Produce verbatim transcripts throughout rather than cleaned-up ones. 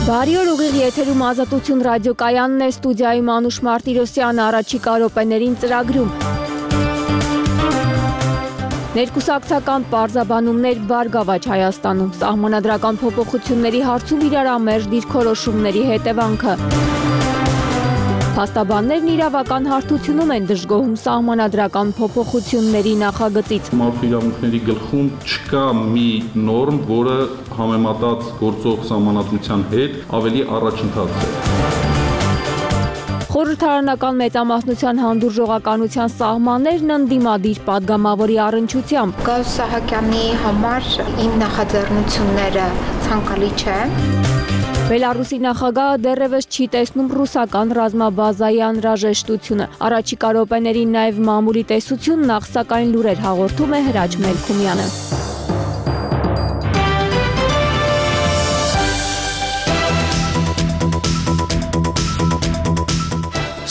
Բարի օր, ուղիղ եթերում Ազատություն ռադիոկայանն է, ստուդիայում Անուշ Մարտիրոսյանը, առաջիկա րոպեներին ծրագրում։ Ներկուսակցական պարզաբանումներ Բարգավաճ Հայաստանում, սահմանադրական փոփոխությունների հարցում իրարամերժ դիրքորոշումների հետևանքը։ Փաստաբաններն իրավական հարթությունում են դժգոհում սահմանադրական փոփոխությունների նախագծից։ Մարդու իրավունքների գլխում չկա մի նորմ, որը համեմատած գործող սահմանադրության հետ ավելի առաջընթաց է։ Խորհրդարանական մեծամասնության հանդուրժողականության սահմաններն ընդդիմադիր պատգամավորի առնչությամբ։ Գաուս Սահակյանի համար իմ նախաձեռնությունները ցանկալի չեն։ Բելարուսի նախագահը դեռևս չի տեսնում ռուսական ռազմաբազայի անհրաժեշտությունը։ Առաջիկա րոպեներին նաև մամուլի տեսություն, նախ սակայն լուրեր հաղորդում է Հրաչ Մելքումյանը։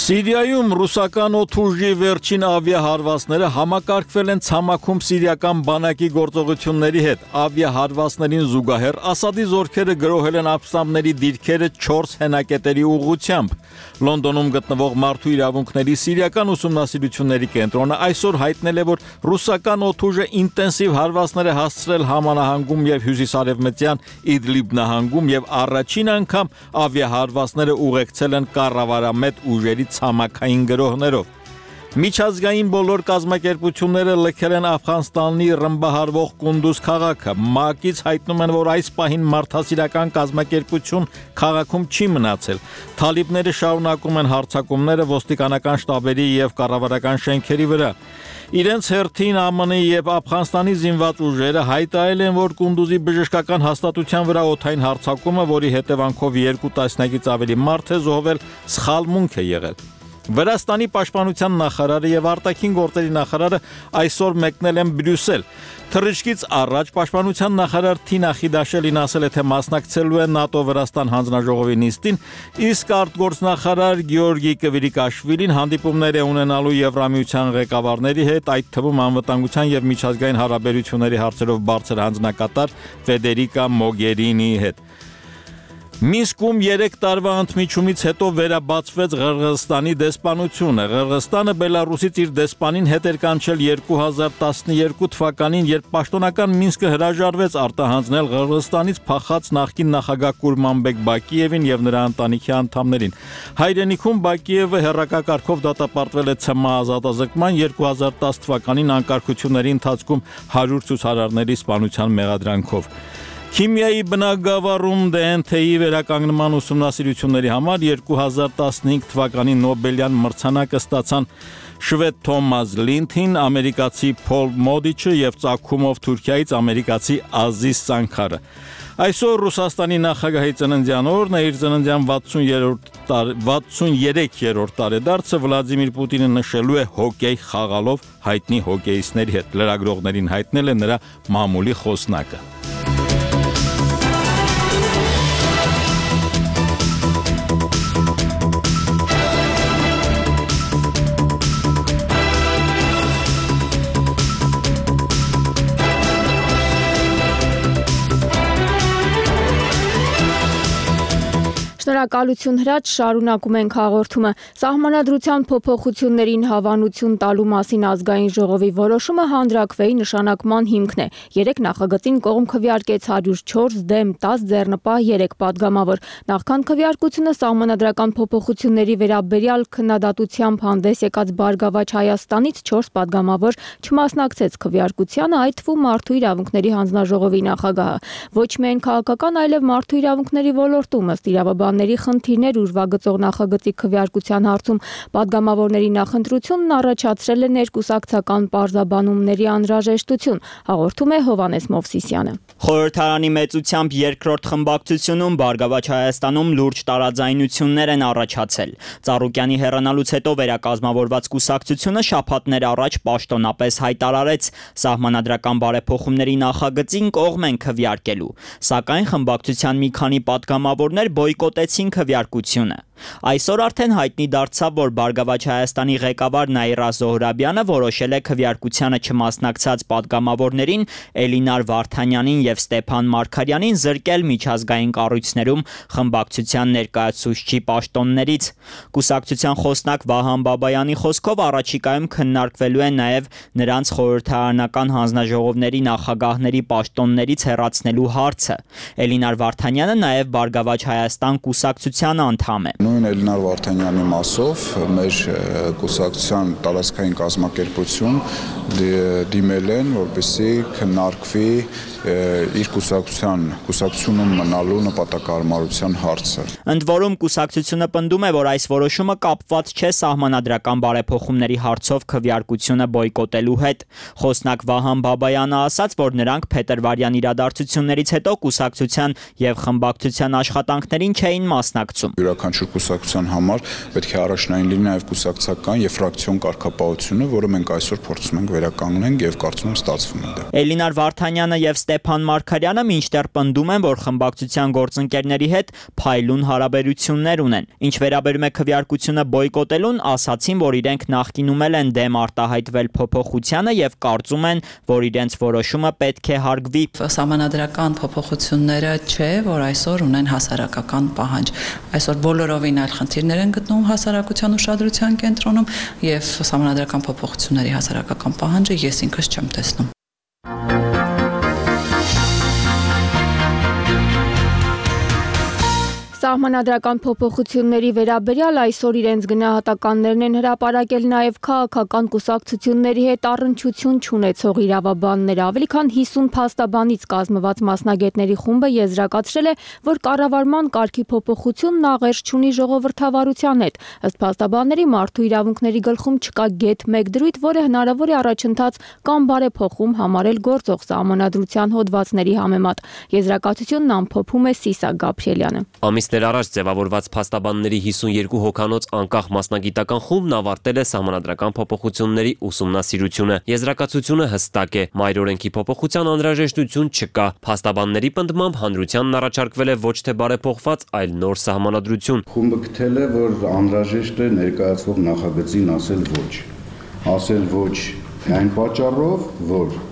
Սիրիայում ռուսական օդուժի վերջին ավիահարվածները համակարգվել են ցամաքում սիրիական բանակի գործողությունների հետ։ Ավիահարվածներին զուգահեռ Ասադի զորքերը գրոհել են ապստամբների դիրքերը չորս հենակետերի ուղղությամբ։ Լոնդոնում գտնվող մարդու իրավունքների սիրիական ուսումնասիրությունների կենտրոնը այսօր հայտնել է, որ ռուսական օդուժը ինտենսիվ հարվածներ է հասցրել Համա նահանգում եւ հյուսիսարևմտյան Իդլիբ նահանգում եւ առաջին անգամ ավիահարվածները ուղեկցել են կառավարամետ ուժերի ցամաքային գրոհներով։ Միջազգային բոլոր կազմակերպությունները լքել են Աֆղանստանի ռմբահարվող Կունդուզ քաղաքը։ ՄԱԿ-ից հայտնում են, որ այս պահին մարդասիրական կազմակերպություն քաղաքում չի մնացել։ Թալիբները շարունակում են հարձակումները ոստիկանական շտաբերի եւ կառավարական շենքերի վրա։ Իրենց հերթին ԱՄՆ-ի եւ Աֆղանստանի զինված ուժերը հայտարարել են, որ Կունդուզի բժշկական հաստատության վրա օդային հարձակումը, որի հետևանքով երկու տասնյակից ավելի մարդ է զոհվել, սխալմունք է եղել։ Վրաստանի պաշտպանության նախարարը եւ արտաքին գործերի նախարարը այսօր մեկնել են Բրյուսել։ Թռիչքից առաջ պաշտպանության նախարար Թինա Խիդաշելին ասել է, թե մասնակցելու է ՆԱՏՕ-Վրաստան հանձնաժողովի նիստին, իսկ արտգործնախարար Գեորգի Կվիրիկաշվիլին հանդիպումներ է ունենալու Եվրամիության ղեկավարների հետ, այդ թվում անվտանգության եւ միջազգային հարաբերությունների հարցերով բարձր հանձնակատար Ֆեդերիկա Մոգերինիի հետ։ Մինսկում երեք տարվա ընդմիջումից հետո վերաբացվեց Ղրղըզստանի դեսպանությունը։ Ղրղըզստանը Բելարուսից իր դեսպանին հետ էր կանչել երկու հազար տասնյոթ թվականին, երբ պաշտոնական Մինսկը հրաժարվեց արտահանձնել Ղրղըզստանից փախած նախկին նախագահ Կուրմանբեկ Բակիևին եւ նրա ընտանիքի անդամներին։ Հայրենիքում Բակիևը հերրակակարգով դատապարտվել է ՑՄ ազատազրկման, երկու հազար տասը թվականին անկարգությունների ընթացքում հարյուր ցուցարարների սպանության մեղադրանքով։ Քիմիայի բնագավառում դե են թեյի վերականգնման ուսումնասիրությունների համար երկու հազար տասնհինգ թվականի Նոբելյան մրցանակը ստացան շվեդ Թոմաս Լինթին, ամերիկացի Փոլ Մոդիչը եւ ծագումով Թուրքիայից ամերիկացի Ազիզ Սանքարը։ Այսօր Ռուսաստանի նախագահի ծննդյան օրն է, իր ծննդյան վաթսունյերեք-րդ տարեդարձը Վլադիմիր Պուտինը նշելու է հոկեյ խաղալով հայտնի հոկեյիստների հետ։ Լրագրողներին հայտնել է նրա մամուլի խոսնակը։ Շնորհակալություն Հրաչ, շարունակում ենք հաղորդումը։ Սահմանադրության փոփոխություններին հավանություն տալու մասին ազգային ժողովի որոշումը հանրաքվեի նշանակման հիմքն է։ Երեք նախագծին կողմ քվեարկեց հարյուր չորս դեմ տասը ձեռնպահ երեք падգամավոր։ Նախքան քվեարկությունը սահմանադրական փոփոխությունների վերաբերյալ քննադատությամբ հանդես եկած Բարգավաճ Հայաստանից չորս падգամավոր չմասնակցեց քվեարկությանը, այդ թվում Մարդու իրավունքների հանձնաժողովի նախագահը։ Ոչ միայն քաղաքական, այլև մարդու իրավունքների ոլորտում ըստ իրավաբանների խնդիրներ ուրվագծող նախագծի քվեարկության հարցում падգամավորների նախընտրությունն առաջացրել է ներկուսակցական պարզաբանումների անհրաժեշտություն, հաղորդում է Հովհաննես Մովսիսյանը։ Խորհրդարանի մեծությամբ երկրորդ խմբակցությունում Բարգավաճ Հայաստանում լուրջ տարաձայնություններ են առաջացել։ Ծառուկյանի հեռանալուց հետո վերակազմավորված կուսակցությունը շաբաթներ առաջ պաշտոնապես հայտարարեց սահմանադրական բարեփոխումների նախագծին կողմ են քվեարկելու, սակայն խմբակցության մի քանի падգամավորներ բոյկոտեցին քվեարկությունը։ Այսօր արդեն հայտնի դարձավ, որ Բարգավաճ Հայաստանի ղեկավար Նաիրա Զոհրաբյանը որոշել է քվեարկությանը չմասնակցած պատգամավորներին Էլինար Վարդանյանին եւ Ստեփան Մարգարյանին զրկել միջազգային կառույցներում խմբակցության ներկայացուցչի պաշտոններից։ Կուսակցության խոսնակ Վահան Բաբայանի խոսքով առաջիկայում քննարկվելու է նաեւ նրանց խորհրդարանական հանձնաժողովների նախագահների պաշտոններից հեռացնելու հարցը։ Էլինար Վարդանյանը նաեւ Բարգավաճ Հայաստան կուսակցության անդամ է։ Նույն Էլինար Վարդանյանի մասով մեր կուսակցության տարածքային կազմակերպություն դիմել են, որպեսզի քննարկվի իր կուսակցության կուսակցությունում մնալու նպատակահարմարության հարցը։ Ընդ որում կուսակցությունը պնդում է, որ այս որոշումը կապված չէ սահմանադրական բարեփոխումների հարցով քվեարկությունը բոյկոտելու հետ։ Խոսնակ Վահան Բաբայանը ասաց, որ նրանք փետրվարյան իրադարձություններից հետո կուսակցության եւ խմբակցության աշխատանքներին չէին մասնակցում։ Յուրաքանչյուր կուսակցության համար պետք է առաջնային լինի նաև կուսակցական եւ ֆրակցիոն կարգապահությունը, որը մենք այսօր փորձում ենք վերականգնենք եւ կարծում եմ ստացվում է դա։ Էլինար Վարդանյանը եւ Ստեփան Մարգարյանը մինչդեռ պնդում են, որ խմբակցության գործընկերների հետ փայլուն հարաբերություններ ունեն։ Ինչ վերաբերում է քվեարկությունը բոյկոտելուն, ասացին, որ իրենք նախկինում են դեմ արտահայտվել փոփոխությանը եւ կարծում են, որ իրենց որոշումը պետք է հարգվի։ Սահմանադրական փոփոխությունները չէ, որ այսօր ունեն հասարակական պահանջ։ Այսօր բոլորովին այլ խնդիրներ են գտնվում հասարակության ուշադրության կենտրոնում եւ սահմանադրական փոփոխությունների հասարակական պահանջը ես ինքս չեմ տեսնում։ Սահմանադրական փոփոխությունների վերաբերյալ այսօր իրենց գնահատականներն են հրապարակել նաև քաղաքական կուսակցությունների հետ առնչություն չունեցող իրավաբանները։ Ավելի քան հիսուն փաստաբանից կազմված մասնագետների խումբը եզրակացրել է, որ կառավարման կարգի փոփոխությունն աղերս չունի ժողովրդավարության հետ։ Ըստ փաստաբանների, մարդու իրավունքների գլխում չկա գեթ մեկ դրույթ, որը հնարավոր է առաջընթաց կամ բարեփոխում համարել գործող սահմանադրության հոդվածների համեմատ։ Եզրակացությունն ամփոփում է Սիսա Գաբրիելյանը։ Ամիսներ առաջ ձևավորված փաստաբանների հիսունյոթ հոգանոց անկախ մասնագիտական խումբն ավարտել է սահմանադրական փոփոխությունների ուսումնասիրությունը։ Եզրակացությունը հստակ է՝ մայրօրենքի փոփոխության անհրաժեշտություն չկա։ Փաստաբանների պնդմամբ հանրությանն առաջարկվել է ոչ թե բարեփոխված, այլ նոր սահմանադրություն։ Խումբը գտել է, որ անհրաժեշտ է ներկայացվող նախագծին ասել ոչ։ Ասել ոչ այն պատճառով, որ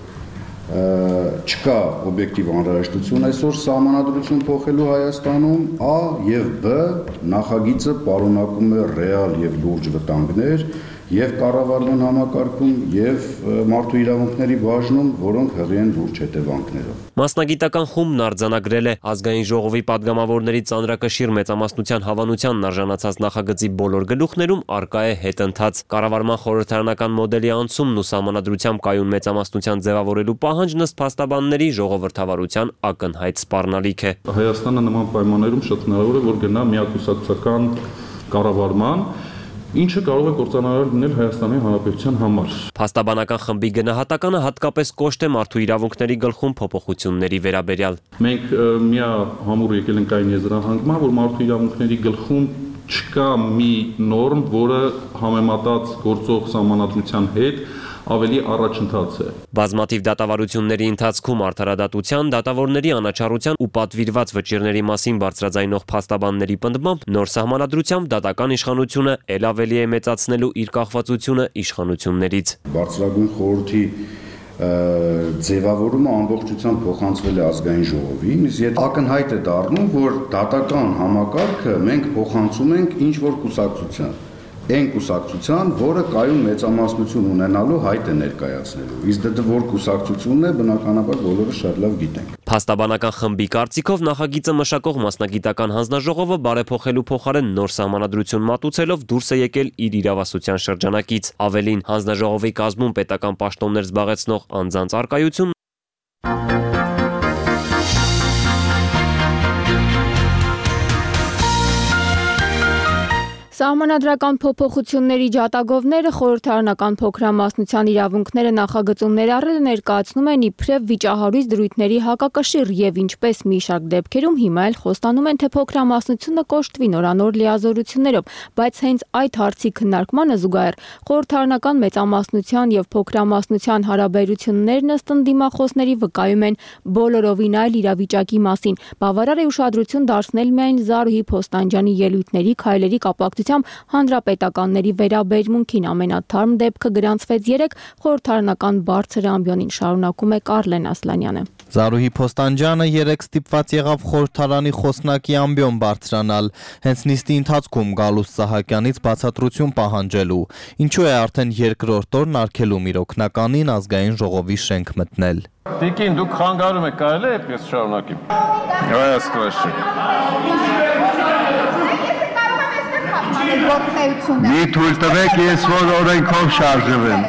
չկա օբյեկտիվ անհրաժեշտություն այսօր սահմանադրություն փոխելու Հայաստանում, Ա եւ Բ նախագիծը պարունակում է ռեալ եւ լուրջ վտանգներ եւ կառավարման համակարգում եւ մարդու իրավունքների բաժնում, որոնք հղի են լուրջ հետևանքներով։ Մասնագիտական խումբն արձանագրել է ազգային ժողովի падգամավորների ծանրակշիռ մեծամասնության հավանությանն արժանացած նախագծի բոլոր գլուխներում արկա է հետընթաց։ Կառավարման խորհրդարանական մոդելի անցումն ու սահմանադրությամբ կայուն մեծամասնության ձևավորելու պահանջն ըստ փաստաբանների ժողովրդավարության ակնհայտ սպառնալիք է։ Հայաստանը նման պայմաններում շատ հնարավոր է, որ գնա միակուսակցական կառավարման, ինչը կարող է կործանարար լինել Հայաստանի Հանրապետության համար։ Փաստաբանական խմբի գնահատականը հատկապես կոշտ է մարդու իրավունքների գլխում փոփոխությունների վերաբերյալ։ Մենք միահամուռ եկել ենք այն եզրահանգման, որ մարդու իրավունքների գլխում չկա մի նորմ, որը համեմատած գործող սահմանադրության հետ ավելի առաջընթաց է։ Բազմաթիվ դատավարությունների ընթացքում արդարադատության, դատավորների անաչառության ու պատվիրված վճիռների մասին բարձրաձայնող փաստաբանների պնդմամբ նոր սահմանադրությամբ դատական իշխանությունը ել ավելի է մեծացնելու իր կախվածությունը իշխանություններից։ Բարձրագույն խորհրդի ձևավորումը ամբողջությամբ փոխանցվել է ազգային ժողովին, իսկ ակնհայտ է դառնում, որ դատական համակարգը մենք փոխանցում ենք ինչ որ կուսակցության։ Այն կուսակցության, որը կայուն մեծամասնություն ունենալու հայտ է ներկայացնելու։ Իսկ դա որ կուսակցությունն է, բնականաբար բոլորը շատ լավ գիտենք։ Փաստաբանական խմբի կարծիքով նախագիծը մշակող մասնագիտական հանձնաժողովը բարեփոխելու փոխարեն նոր սահմանադրություն մատուցելով դուրս է եկել իր իրավասության շրջանակից։ Ավելին, հանձնաժողովի կազմում պետական պաշտոններ զբաղեցնող անձանց առկայություն Սահմանադրական փոփոխությունների ջատագովները խորհրդարանական փոքրամասնության իրավունքները նախագծում ներառելը ներկայացնում են իբրև վիճահարույց դրույթների հակակշիռ եւ ինչպես մի շարք դեպքերում հիմա էլ խոստանում են, թե փոքրամասնությունը կոշտվի նորանոր լիազորություններով, բայց հենց այդ հարցի քննարկմանը զուգահեռ խորհրդարանական մեծամասնության եւ փոքրամասնության հարաբերություններն ըստ ընդդիմախոսների վկայում են բոլորովին այլ իրավիճակի մասին։ Բավարար է ուշադրություն դարձնել միայն Զարուհի Փոստանջյանի ելույթների քայլերի կապակցությամբ հանրապետականների վերաբերմունքին ամենաթարմ դեպքը գրանցվեց երեկ խորհրդարանական բարձր ամբիոնին, շարունակում է Կարլեն Ասլանյանը։ Զարուհի Փոստանջյանը երեկ ստիպված եղավ խորհրդարանի խոսնակի ամբիոն բարձրանալ, հենց նիստի ընթացքում Գալուստ Սահակյանից բացատրություն պահանջելու, ինչու է արդեն երկրորդ օրն արգելում իր օգնականին ազգային ժողովի շենք մտնել։ Տիկին, դուք խանգարում եք, կարելի է այդպես շարունակի։ Այստեղ Մի թույլ տվեք, ես որ օրենքով շարժվեմ։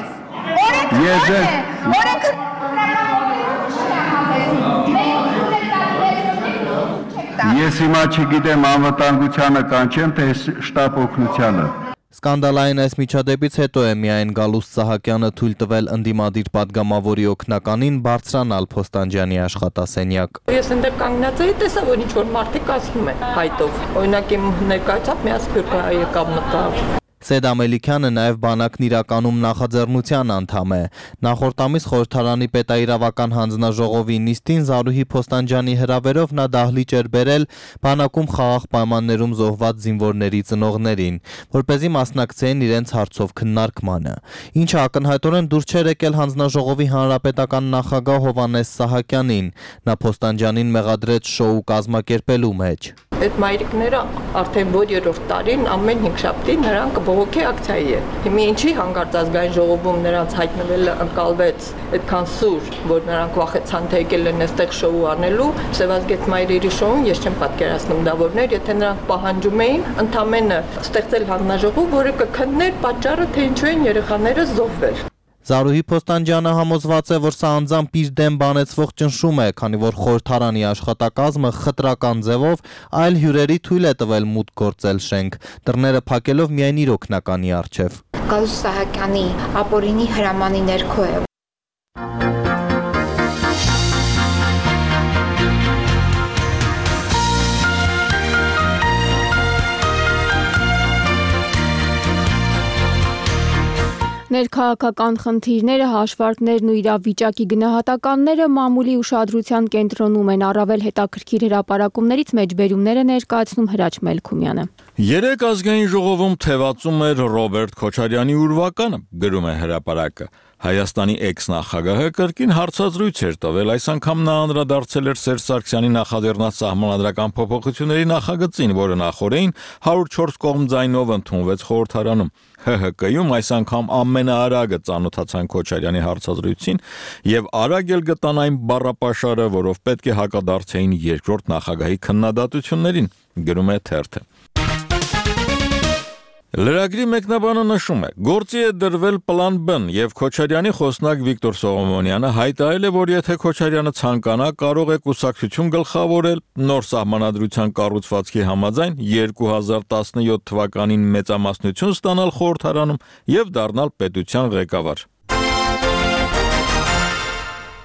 Ես հիմա չգիտեմ անվտանգությանը կանչեմ, թե շտապ օգնությանը։ Սկանդալային այս միջադեպից հետո է միայն Գալուստ Սահակյանը թույլ տվել ընդդիմադիր падգամավորի օգնականին բարձրանալ Փոստանջյանի աշխատասենյակ։ Ես այնտեղ կանգնած էի, տեսա, որ ինչ-որ մարդիկ ասում են հայտով։ Օրինակ իմ ներկայացավ մի ասպյուր եկավ մտավ։ Սեդ Ամելիքյանը նաև բանակն իրականում նախաձեռնության անդամ է։ Նախորդ ամիս խորհրդարանի պետաիրավական հանձնաժողովի նիստին Զարուհի Փոստանջյանի հրավերով նա դահլիճ էր բերել բանակում խաղաղ պայմաններում զոհված զինվորների ծնողներին, որպեսզի մասնակցեին իրենց հարցով քննարկմանը։ Ինչը ակնհայտորեն դուր չէր եկել հանձնաժողովի հանրապետական նախագահ Հովհաննես Սահակյանին։ Նա Փոստանջյանին մեղադրեց շոու կազմակերպելու մեջ։ Այդ մայրիկները արդեն որ երրորդ տարին ամեն հինգշաբթի նրանք բողոքի ակցիայի են։ Հիմա ինչի հանկարծ ազգային ժողովում նրանց հայտնվելը ընկալվեց այդքան սուր, որ նրանք վախեցան թե եկել են այստեղ շոու անելու, Սևազգետ մայրերի շոուն ես չեմ պատկերացնում դա որներ, եթե նրանք պահանջում էին ընդամենը ստեղծել հանձնաժողով, որը կքններ պատճառը, թե ինչու են երեխաները զոհվել։ Զարուհի Փոստանջյանը համոզված է, որ սա անձամբ իր դեմ բանեցվող ճնշում է, քանի որ խորհրդարանի աշխատակազմը խտրական ձևով այլ հյուրերի թույլ է տվել մուտք գործել շենք, դռները փակելով միայն իր օգնականի առջև։ Գալուստ Սահակյանի ապօրինի հրամանի ներքո է։ Ներքաղաքական խնդիրները, հաշվարկներն ու իրավիճակի գնահատականները մամուլի ուշադրության կենտրոնում են, առավել հետաքրքիր հրապարակումներից մեջբերումները ներկայացնում Հրաչ Մելքումյանը։ Երեկ ազգային ժողովում թևածում էր Ռոբերտ Քոչարյանի ուրվականը, գրում է հրապարակը։ Հայաստանի էքս-նախագահը կրկին հարցազրույց էր տվել, այս անգամ նա անդրադարձել էր Սերժ Սարգսյանի նախաձեռնած սահմանադրական փոփոխությունների նախագծին, որը նախորդին հարյուր չորս կողմ ձայնով ընդունվեց խորհրդարանում։ Հ Հ Կ-ում այս անգամ ամենաարագը ծանոթացան Քոչարյանի հարցազրույցին եւ արագ էլ գտան այն բառապաշարը, որով պետք է հակադարձեին երկրորդ նախագահի քննադատություններին, գրում է թերթը։ Լրագրի մեկնաբանը նշում է. գործի է դրվել պլան Բ եւ Քոչարյանի խոսնակ Վիկտոր Սողոմոնյանը հայտարարել է, որ եթե Քոչարյանը ցանկանա, կարող է կուսակցություն գլխավորել նոր սահմանադրության կառուցվածքի համաձայն երկու հազար տասնյոթ թվականին մեծամասնություն ստանալ խորհրդարանում եւ դառնալ պետության ղեկավար։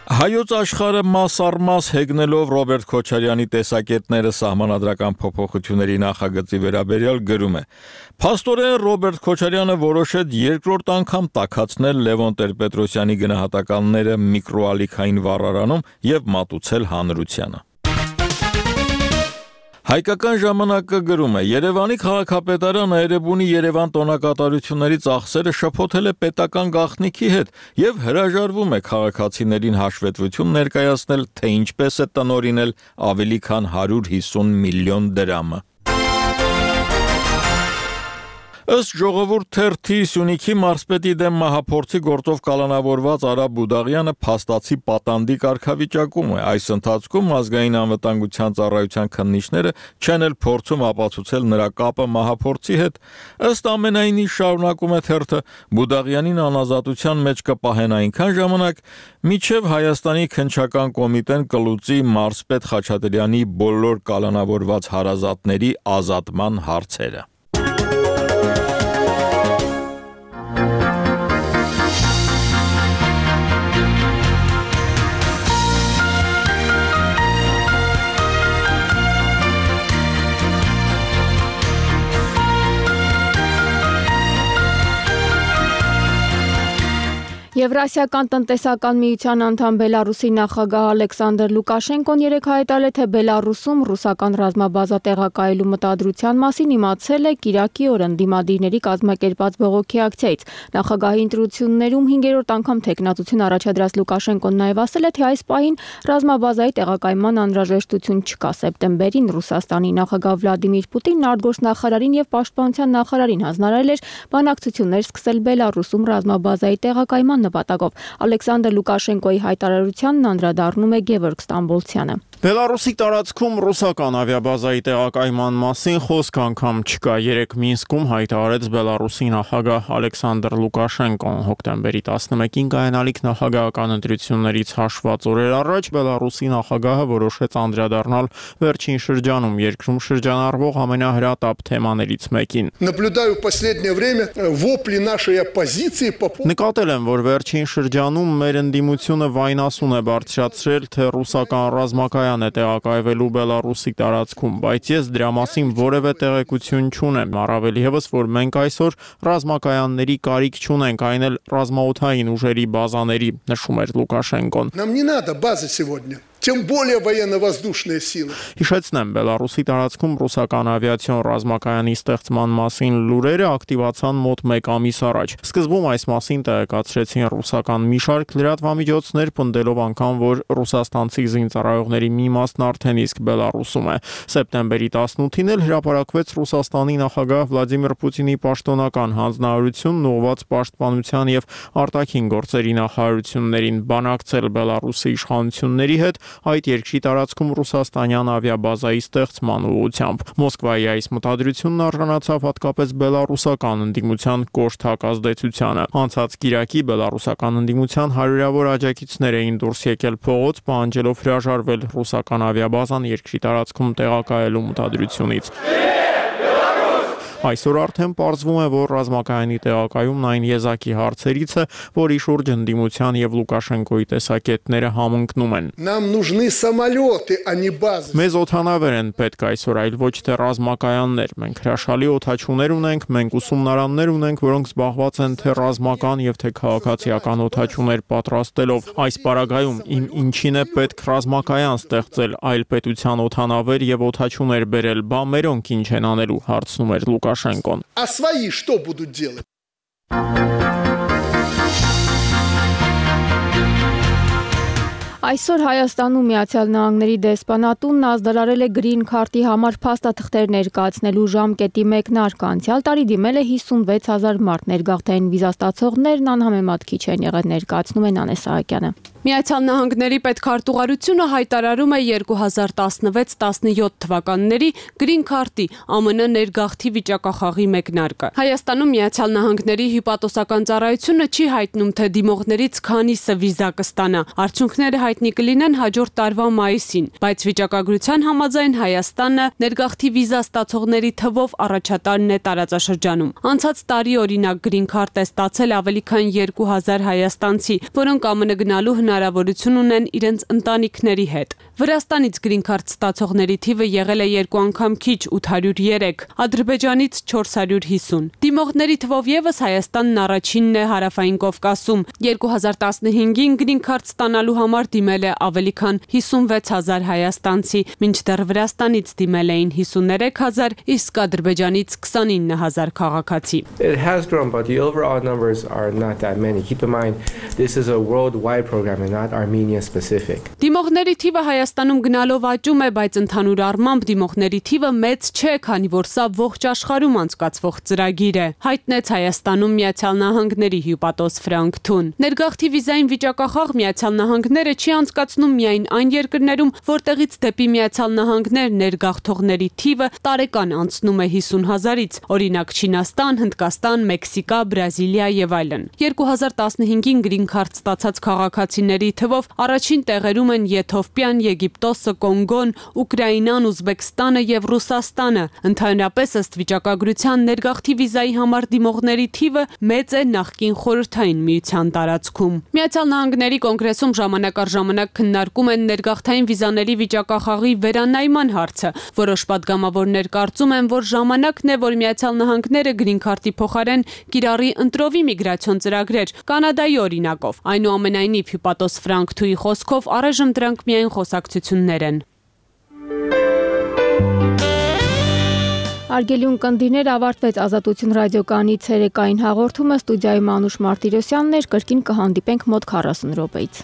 Հայոց աշխարհը մաս առ մաս հեգնելով Ռոբերտ Քոչարյանի տեսակետները սահմանադրական փոփոխությունների նախագծի վերաբերյալ գրում է. Փաստորեն Ռոբերտ Քոչարյանը որոշեց երկրորդ անգամ տաքացնել Լևոն Տեր-Պետրոսյանի գնահատականները միկրոալիքային վառարանում եւ մատուցել հանրությանը։ Հայկական ժամանակը գրում է. Երևանի քաղաքապետարանը Էրեբունի Երևան տոնակատարությունների ծախսերը շփոթել է պետական գաղտնիքի հետ եւ հրաժարվում է քաղաքացիներին հաշվետվություն ներկայացնել, թե ինչպես է տնօրինել ավելի քան հարյուր հիսուն միլիոն դրամը։ Ըստ ժողովուրդ թերթի Սյունիքի մարզպետի դեմ մահափորձի գործով կալանավորված Արա Բուդաղյանը փաստացի պատանդի կարգավիճակում է։ Այս ընթացքում ազգային անվտանգության ծառայության քննիչները չեն էլ փորձում ապացուցել նրա կապը մահափորձի հետ։ Ըստ ամենայնի, շարունակում է թերթը, Բուդաղյանին անազատության մեջ կպահեն այնքան ժամանակ, մինչև Հայաստանի քննչական կոմիտեն կլուծի մարզպետ Խաչատրյանի բոլոր կալանավորված հարազատների ազատման հարցերը։ Եվրասիական տնտեսական միության անդամ Բելարուսի նախագահ Ալեքսանդր Լուկաշենկոն երեկ հայտարարել է, թե Բելարուսում ռուսական ռազմաբազա տեղակայելու մտադրության մասին իմացել է կիրակի օրը ընդդիմադիրների կազմակերպած բողոքի ակցիայից։ Նախագահի ընտրություններում հինգերորդ անգամ թեկնածություն առաջադրած Լուկաշենկոն նաև ասել է, թե այս պահին ռազմաբազայի տեղակայման անհրաժեշտություն չկա։ Սեպտեմբերին Ռուսաստանի նախագահ Վլադիմիր Պուտինն արտգործնախարարին եւ պաշտպանության նախարարին հանձնարարել էր բանակցություններ սկսել Բելարուսում ռազմաբազայի տեղակայման նպատակով։ Ալեքսանդր Լուկաշենկոյի հայտարարությանն անդրադառնում է Գևորգ Ստամբոլցյանը։ Բելարուսի տարածքում ռուսական ավիաբազայի տեղակայման մասին խոսք անգամ չկա։ Երեկ Մինսկում հայտարարեց Բելարուսի նախագահ Ալեքսանդր Լուկաշենկոն։ Հոկտեմբերի տասնմեկին կայանալիք նախագահական ընտրություններից հաշված օրեր առաջ Բելարուսի նախագահը որոշեց անդրադառնալ վերջին շրջանում երկրում շրջանառվող ամենահրատապ թեմաներից մեկին։ Наблюдаю в последнее время вопли нашей оппозиции по поводу Նկատել եմ, որ վերջին շրջանում մեր ընդդիմությունը վայնասուն է բարձրացրել, թե ռուսական ռազմակայան է տեղակայվելու Բելարուսի տարածքում, բայց ես դրա մասին որևէ տեղեկություն չունեմ։ Առավել ևս, որ մենք այսօր ռազմակայանների կարիք չունենք, այն էլ ռազմաօդային ուժերի բազաների, նշում էր Լուկաշենկոն։ Нам не надо базы сегодня. Тем более военно-воздушные силы. Հիշեցնեմ, Բելարուսի տարածքում ռուսական ավիացիոն ռազմակայանի ստեղծման մասին լուրերը ակտիվացան մոտ մեկ ամիս առաջ։ Սկզբում այս մասին տեղեկացրեցին ռուսական մի շարք լրատվամիջոցներ, պնդելով անգամ, որ ռուսաստանցի զինծառայողների մի մասն արդեն իսկ Բելարուսում է։ Սեպտեմբերի տասնութին էլ հրապարակվեց Ռուսաստանի նախագահ Վլադիմիր Պուտինի պաշտոնական հանձնարարությունն ուղղված պաշտպանության եւ արտաքին գործերի նախարարություններին բանակցել Բելարուսի իշխանությունների հետ այդ երկրի տարածքում ռուսաստանյան ավիաբազայի ստեղծման ուղղությամբ։ Մոսկվայի այս մտադրությունն արժանացավ հատկապես բելարուսական ընդդիմության կոշտ հակազդեցությանը։ Անցած կիրակի բելարուսական ընդդիմության հարյուրավոր աջակիցներ էին դուրս եկել փողոց, պահանջելով հրաժարվել ռուսական ավիաբազան երկրի տարածքում տեղակայելու մտադրությունից։ Այսօր արդեն պարզվում է, որ ռազմակայանի տեղակայումն այն եզակի հարցերից է, որի շուրջ ընդդիմության եւ Լուկաշենկոյի տեսակետները համընկնում են։ Нам нужны самолеты, а не базы. Մեզ օդանավեր են պետք այսօր, այլ ոչ թե ռազմակայաններ։ Մենք հրաշալի օդաչուներ ունենք, մենք ուսումնարաններ ունենք, որոնք զբաղված են թե ռազմական եւ թե քաղաքացիական օդաչուներ պատրաստելով։ Այս պարագայում իմ ինչին է պետք ռազմակայան ստեղծել, այլ պետության օդանավեր եւ օդաչուներ բերել, բա մերոնք ինչ են անելու, հարցնում էր Լուկաշենկոն։ А свои что будут делать? Այսօր Հայաստանում Միացյալ Նահանգների դեսպանատունն ազդարարել է գրին քարտի համար փաստաթղթեր ներկայացնելու ժամկետի մեկնարկը։ Անցյալ տարի դիմել է հիսունվեց հազար մարդ, ներգաղթային վիզա ստացողներն անհամեմատ քիչ են եղել, ներկայացնում է Նանե Սահակյանը։ Միացյալ Նահանգների պետքարտուղարությունը հայտարարում է երկու հազար տասնվեց տասնյոթ թվականների գրին քարտի ԱՄՆ ներգաղթի վիճակախաղի մեկնարկը։ Հայաստանում Միացյալ Նահանգների հյուպատոսական ծառայությունը չի հայտնում, թե դիմողներից քանիսը վիզա կստանա։ Արդյունքները հայտնի կլինեն հաջորդ տարվա մայիսին, բայց վիճակագրության համաձայն Հայաստանը ներգաղթի վիզա ստացողների թվով առաջատարն է տարածաշրջանում։ Անցած տարի օրինակ գրին քարտ է ստացել ավելի քան երկու հազար հայաստանցի, որոնք ԱՄՆ գնալու հնարավորություն ունեն իրենց ընտանիքների հետ։ Վրաստանից գրին քարտ ստացողների թիվը եղել է երկու անգամ քիչ ութ հարյուր երեք, Ադրբեջանից չորս հարյուր հիսուն։ Դիմողների թվով եւս Հայաստանն առաջինն է Հարավային Կովկասում։ երկու հազար տասնհինգին գրին քարտ ստանալու համար դիմել է ավելի քան հիսունվեց հազար հայաստանցի, մինչդեռ Վրաստանից դիմել էին հիսուներեք հազար, իսկ Ադրբեջանից քսանինը հազար քաղաքացի։ It has grown, but the overall numbers are not that many. Keep in mind, this is a worldwide program and not Armenia specific. Դիմողների թիվը Հայաստանում գնալով աճում է, բայց ընդհանուր առմամբ դիմողների թիվը մեծ չէ, քանի որ սա ողջ աշխարհում անցկացվող ծրագիր է, հայտնեց Հայաստանում Միացյալ Նահանգների հյուպատոս Ֆրանկ Թուն։ Ներգաղթի վիզային վիճակախաղ Միացյալ Նահանգները չի անցկացնում միայն այն երկրներում, որտեղից դեպի Միացյալ Նահանգներ ներգաղթողների թիվը տարեկան անցնում է հիսուն հազարից, օրինակ Չինաստան, Հնդկաստան, Մեքսիկա, Բրազիլիա եւ այլն։ երկու հազար տասնհինգին գրին քարտ ստացած քաղաքացիների թվով առաջին տեղերում են Եթովպիան, Եգիպտոսը, Կոնգոն, Ուկրաինան, Ուզբեկստանը եւ Ռուսաստանը։ Ընդհանրապես ըստ վիճակագրության ներգաղթի վիզայի համար դիմողների թիվը մեծ է նախկին խորհրդային միության տարածքում։ Միացյալ Նահանգների կոնգրեսում ժամանակար ժամանակ քննարկում են ներգաղթային վիզաների վիճակախաղի վերանայման հարցը։ Որոշ պատգամավորներ կարծում են, որ ժամանակն է, որ Միացյալ Նահանգները գրին քարտի փոխարեն կիրառի ընտրովի միգրացիոն ծրագրեր, Կանադայի օրինակով։ Այնուամենայնիվ, հյուպատոս Ֆրանկ Թուի խոսքով առայժմ դրանք միայն խոսակցություններ են։ Արգելյուն կնդիներ ավարտվեց Ազատություն ռադիոկայանի ցերեկային հաղորդումը, ստուդիայում Անուշ Մարտիրոսյանն էր, կրկին կհանդիպենք մոտ քառասուն րոպեից։